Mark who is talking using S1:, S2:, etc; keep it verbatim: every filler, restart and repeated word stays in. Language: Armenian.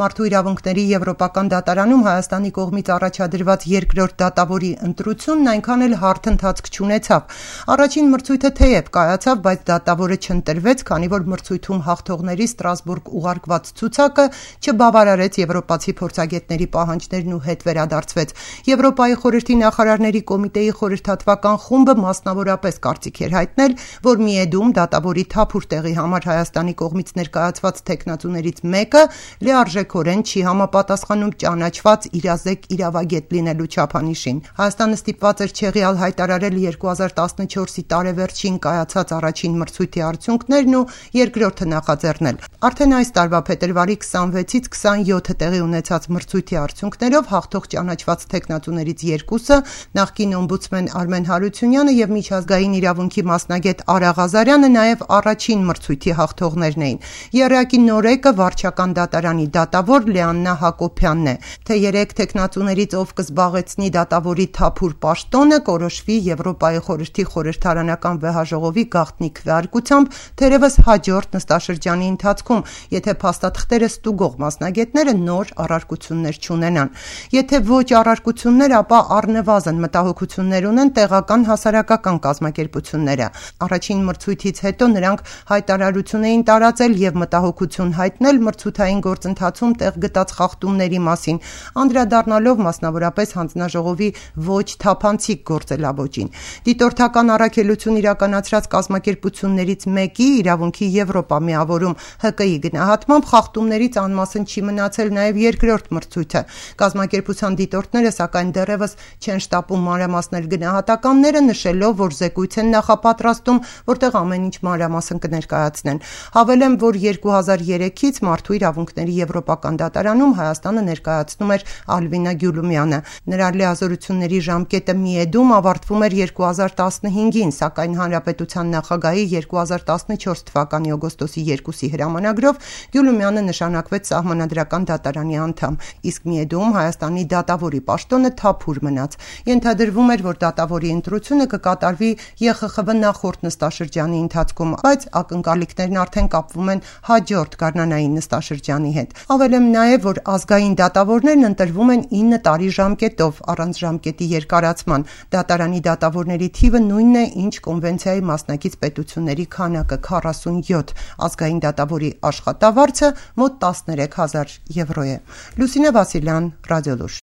S1: Մարդու իրավունքների Եվրոպական դատարանում Հայաստանի կողմից առաջադրված երկրորդ դատավորի ընտրությունն այնքան էլ հարթ ընթացք չունեցավ։ Առաջին մրցույթը թեև կայացավ, բայց դատավորը չընտրվեց, քանի որ մրցույթում հաղթողների Ստրասբուրգ ուղարկված ցուցակը չբավարարեց եվրոպացի փորձագետների պահանջներն ու հետ վերադարձվեց։ Եվրոպայի խորհրդի նախարարների կոմիտեի խորհրդատվական խումբը մասնավորապես կարծիք էր հայտնել, որ միեդում դատավորի թափուր տեղի համար Հայաստանի կողմից ներկայացված թեկնածուներից մեկը լիարժեք Քորեն չի համապատասխանում ճանաչված իրազեկ իրավագետ լինելու չափանիշին։ Հայաստանը ստիպված էր չեղյալ հայտարարել երկու հազար տասնչորսի տարեվերջին կայացած առաջին մրցույթի արդյունքներն ու երկրորդը նախաձեռնել։ Արդեն այս տարվա փետրվարի քսանվեցից քսանյոթը տեղի ունեցած մրցույթի արդյունքներով հաղթող ճանաչված թեկնածուներից երկուսը նախկին օմբուդսմեն Արմեն Հարությունյանը եւ միջազգային իրավունքի մասնագետ Արա Ղազարյանը նաեւ առաջին մրցույթի հաղթողներն էին։ Եռյակի նորեկը վարչական դատարանի դատավոր Լեաննա Հակոբյանն է, թե երեք թեկնածուներից ով կզբաղեցնի դատավորի թափուր պաշտոնը կորոշվի Եվրոպայի խորհրդի խորհրդարանական վեհաժողովի գաղտնի քվեարկությամբ, թերևս հաջորդ նստաշրջանի ընթացքում, եթե փաստաթղթերը ստուգող մասնագետները նոր առարկություններ չունենան։ Եթե ոչ առարկություններ, ապա առնվազն մտահոգություններ ունեն տեղական հասարակական կազմակերպությունները։ Առաջին մրցույթից հետո նրանք հայտարարություն էին տարածել եւ մտահոգություն հայտնել մրցութային գործընթացում տեղ գտած խախտումների մասին, անդրադառնալով մասնավորապես հանձնաժողովի ոչ թափանցիկ գործելավոճին։ Դիտորդական առաքելություն իրականացրած կազմակերպություններից մեկի իրավունքի Եվրոպա միավորում Հ Կ-ի գնահատմամբ խախտումներից անմասն չի մնացել նաև երկրորդ մրցույթը։ Կազմակերպության դիտորդները սակայն դեռևս չեն շտապում մանրամասնել գնահատականները, նշելով, որ զեկույց են նախապատրաստում, որտեղ ամեն ինչ մանրամասն կներկայացնեն։ Հավելեմ, որ երկու հազար երեքից մարդու իրավունքների Եվրոպական դատարանում Հայաստանը ներկայացնում էր Ալվինա Գյուլումյանը։ Նրա լիազորությունների ժամկետը միեդում ավարտվում էր երկու հազար տասնհինգին, սակայն Հանրապետության նախագահի երկու հազար տասնչորս թվականի օգոստոսի երկուսի հրամանագրով Գյուլումյանը նշանակվեց սահմանադրական դատարանի անդամ, իսկ միեդում Հայաստանի դատավորի պաշտոնը թափուր մնաց։ Ենթադրվում էր, որ դատավորի ընտրությունը կկատարվի Ե Խ Խ V նախորդ նստաշրջանի ընթացքում, բայց ակնկալիքներն արդեն կապվում են հաջորդ գարնանային նստաշրջանի հետ։ Ավելեմ նաև, որ ազգային դատավորներն ընտրվում են ինը տարի ժամկետով, առանց ժամկետի երկարացման։ Դատարանի դատավորների թիվը նույնն է, ինչ կոնվենցիայի մասնակից պետությունների քանակը՝ քառասունյոթ։ Ազգային դատավորի աշխատավարձը մոտ տասներեք հազար եվրո է։ Լուսինե Վասիլյան, Ռադիոլուր։